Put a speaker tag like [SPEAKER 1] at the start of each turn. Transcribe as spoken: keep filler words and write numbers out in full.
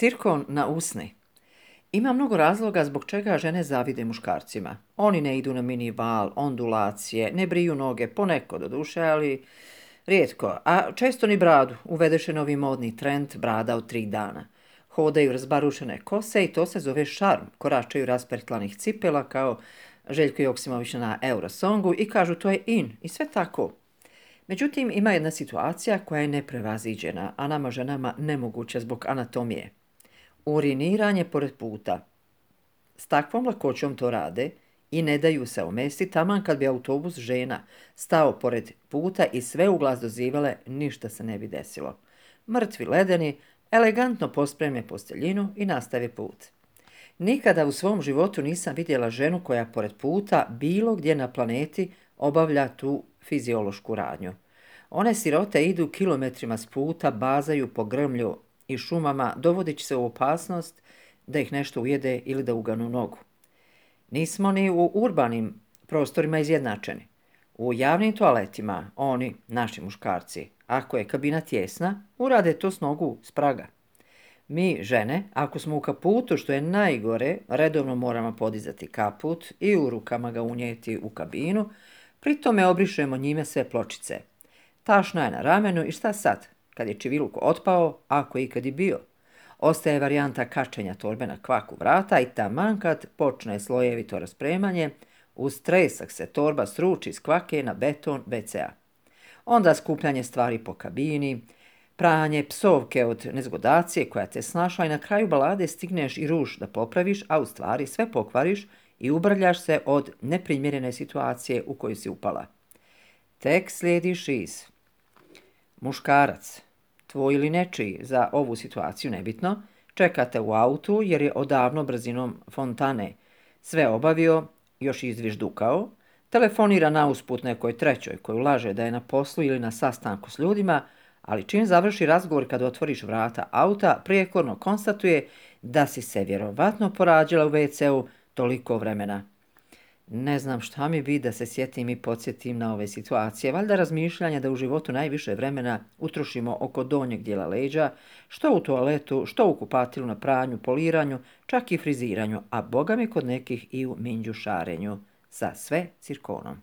[SPEAKER 1] Cirkon na usni. Ima mnogo razloga zbog čega žene zavide muškarcima. Oni ne idu na minival, ondulacije, ne briju noge, poneko do duše, ali rijetko, a često ni bradu. Uvedeše novi modni trend brada od tri dana. Hodaju razbarušene kose i to se zove šarm. Koračaju raspertlanih cipela kao Željko Joksimović na Eurosongu i kažu to je in i sve tako. Međutim, ima jedna situacija koja je neprevaziđena, a nama ženama nemoguća zbog anatomije. Uriniranje pored puta. S takvom lakoćom to rade i ne daju se omesti, taman kad bi autobus žena stao pored puta i sve u glas dozivale, ništa se ne bi desilo. Mrtvi ledeni, elegantno pospreme posteljinu i nastave put. Nikada u svom životu nisam vidjela ženu koja pored puta bilo gdje na planeti obavlja tu fiziološku radnju. One sirote idu kilometrima s puta, bazaju po grmlju i šumama, dovodeći se u opasnost da ih nešto ujede ili da uganu nogu. Nismo ni u urbanim prostorima izjednačeni. U javnim toaletima oni, naši muškarci, ako je kabina tjesna, urade to s nogu s praga. Mi, žene, ako smo u kaputu, što je najgore, redovno moramo podizati kaput i u rukama ga unijeti u kabinu, pri tome obrišemo njime sve pločice. Tašna je na ramenu i šta sad, kad je čiviluk otpao, ako je ikad i bio? Ostaje varijanta kačenja torbe na kvaku vrata i taman kad počne slojevito raspremanje, uz tresak se torba sruči iz kvake na beton ve ce a. Onda skupljanje stvari po kabini, pranje, psovke od nezgodacije koja te snašla i na kraju balade stigneš i ruž da popraviš, a u stvari sve pokvariš i ubrljaš se od neprimjerene situacije u koju si upala. Tek slijedi šiz. Muškarac, tvoj ili nečiji, za ovu situaciju nebitno, čekate u autu jer je odavno brzinom fontane sve obavio, još izviždukao, telefonira na usput nekoj trećoj koju laže da je na poslu ili na sastanku s ljudima, ali čim završi razgovor kad otvoriš vrata auta, prijekorno konstatuje da si se vjerovatno porađala u ve ce u toliko vremena. Ne znam šta mi bi da se sjetim i podsjetim na ove situacije, valjda razmišljanja da u životu najviše vremena utrošimo oko donjeg dijela leđa, što u toaletu, što u kupatilu na pranju, poliranju, čak i friziranju, a boga mi kod nekih i u minđušarenju, sa sve cirkonom.